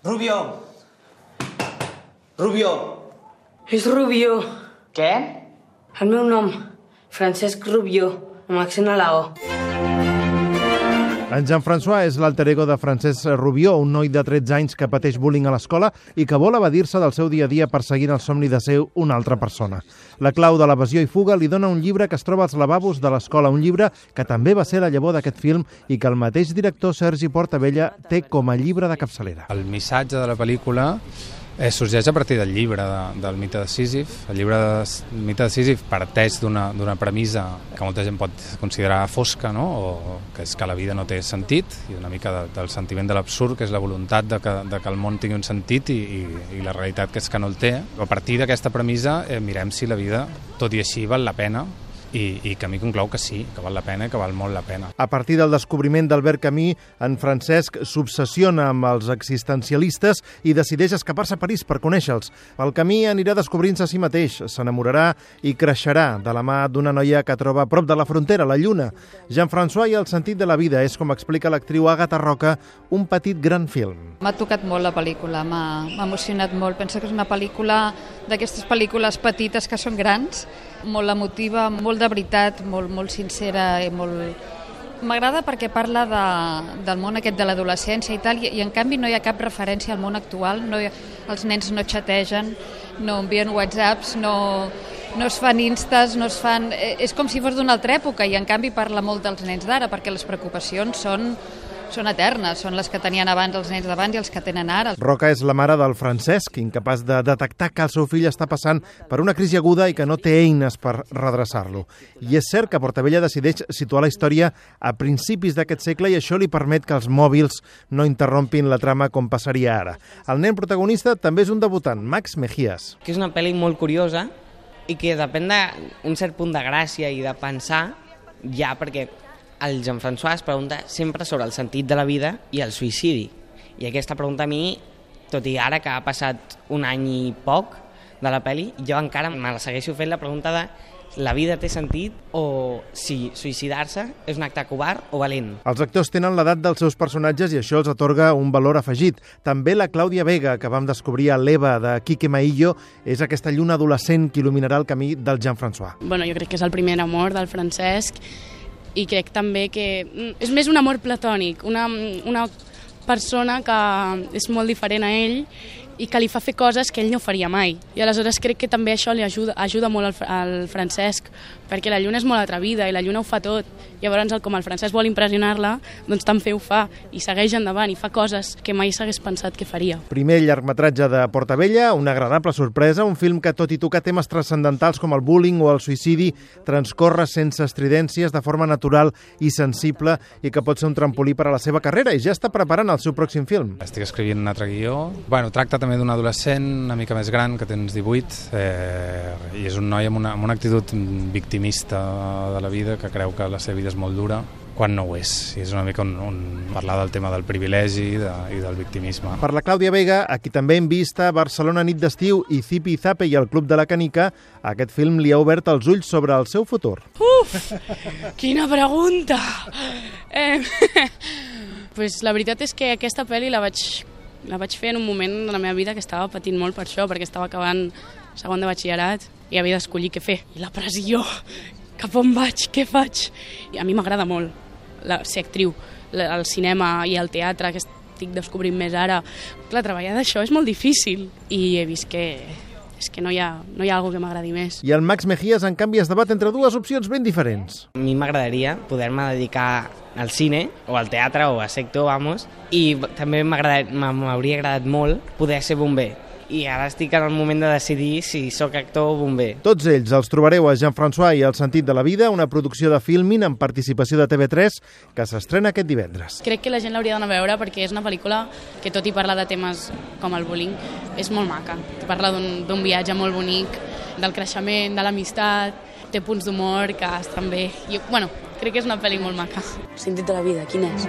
Rubio! Rubio! És Rubio. Què? El meu nom, Francesc Rubio, amb accent a la O. En Jean-François és l'alter ego de Francesc Rubio, un noi de 13 anys que pateix bullying a l'escola i que vol evadir-se del seu dia a dia perseguint el somni de ser una altra persona. La clau de l'evasió i fuga li dona un llibre que es troba als lavabos de l'escola, un llibre que també va ser la llavor d'aquest film i que el mateix director Sergi Portabella té com a llibre de capçalera. El missatge de la pel·lícula sorgeix a partir del llibre del mite de Sísif. El llibre del mite de Sísif parteix d'una premissa que molta gent pot considerar fosca, no? O que és que la vida no té sentit, i una mica del sentiment de l'absurd, que és la voluntat de que el món tingui un sentit i la realitat que és que no el té. A partir d'aquesta premissa mirem si la vida, tot i així, val la pena, i Camí conclou que sí, que val la pena i que val molt la pena. A partir del descobriment d'Albert Camus, en Francesc s'obsessiona amb els existencialistes i decideix escapar-se a París per conèixer-los. El camí anirà descobrint-se a si mateix, s'enamorarà i creixerà de la mà d'una noia que troba a prop de la frontera, la Lluna. Jean-François i el sentit de la vida és, com explica l'actriu Àgata Roca, un petit gran film. M'ha tocat molt la pel·lícula, m'ha emocionat molt. Penso que és una pel·lícula d'aquestes pel·lícules petites que són grans, molt emotiva, molt de veritat, molt sincera i molt... M'agrada perquè parla del món aquest de l'adolescència i tal, i en canvi no hi ha cap referència al món actual, els nens no xategen, no envien whatsapps, no es fan instes, no es fan... És com si fos d'una altra època, i en canvi parla molt dels nens d'ara, perquè les preocupacions són eternes, són les que tenien abans els nens d'abans i els que tenen ara. Roca és la mare del Francesc, incapaç de detectar que el seu fill està passant per una crisi aguda i que no té eines per redreçar-lo. I és cert que Portabella decideix situar la història a principis d'aquest segle i això li permet que els mòbils no interrompin la trama com passaria ara. El nen protagonista també és un debutant, Max Mejías. Que és una pel·li molt curiosa i que depèn d'un cert punt de gràcia i de pensar ja, perquè el Jean-François es pregunta sempre sobre el sentit de la vida i el suïcidi. I aquesta pregunta a mi, tot i ara que ha passat un any i poc de la pel·li, jo encara me la segueixo fent la pregunta de la vida té sentit o si suïcidar-se és un acte covard o valent. Els actors tenen l'edat dels seus personatges i això els atorga un valor afegit. També la Clàudia Vega, que vam descobrir a l'Eva de Quique Maillo, és aquesta lluna adolescent que il·luminarà el camí del Jean-François. Bueno, jo crec que és el primer amor del Francesc, i crec també que és més un amor platònic, una persona que és molt diferent a ell i que li fa fer coses que ell no faria mai. I aleshores crec que també això li ajuda molt al Francesc, perquè la Lluna és molt atrevida i la Lluna ho fa tot. Llavors, com el Francesc vol impressionar-la, doncs també ho fa i segueix endavant i fa coses que mai s'hagués pensat que faria. Primer llargmetratge de Portabella, una agradable sorpresa, un film que, tot i tocar temes transcendentals com el bullying o el suïcidi, transcorre sense estridències, de forma natural i sensible, i que pot ser un trampolí per a la seva carrera, i ja està preparant el seu pròxim film. Estic escrivint un altre guió. Tracta també d'un adolescent una mica més gran, que tens 18, i és un noi amb una actitud victimista de la vida, que creu que la seva vida és molt dura, quan no ho és. I és una mica parlar del tema del privilegi i del victimisme. Per la Clàudia Vega, a qui també hem vist a Barcelona nit d'estiu i Zipi Zape i el Club de la Canica, aquest film li ha obert els ulls sobre el seu futur. Uf! Quina pregunta! Pues la veritat és que aquesta pel·li la vaig fer en un moment de la meva vida que estava patint molt per això, perquè estava acabant segon de batxillerat i havia d'escollir què fer. I la pressió, cap on vaig, què faig? I a mi m'agrada molt ser actriu, el cinema i el teatre, que estic descobrint més ara. Clar, treballar d'això és molt difícil i he vist que no hi ha alguna que m'agradi més. I el Max Mejías, en canvi, es debat entre dues opcions ben diferents. A mi m'agradaria poder-me dedicar al cine o al teatre o a ser actor, i també m'hauria agradat molt poder ser bomber. I ara estic en el moment de decidir si sóc actor o bomber. Tots ells els trobareu a Jean-François i el sentit de la vida, una producció de Filmin amb participació de TV3 que s'estrena aquest divendres. Crec que la gent l'hauria d'anar a veure perquè és una pel·lícula que, tot i parlar de temes com el bullying, és molt maca. Parla d'un viatge molt bonic, del creixement, de l'amistat, té punts d'humor que estan bé. Crec que és una pel·li molt maca. El sentit de la vida, quin és?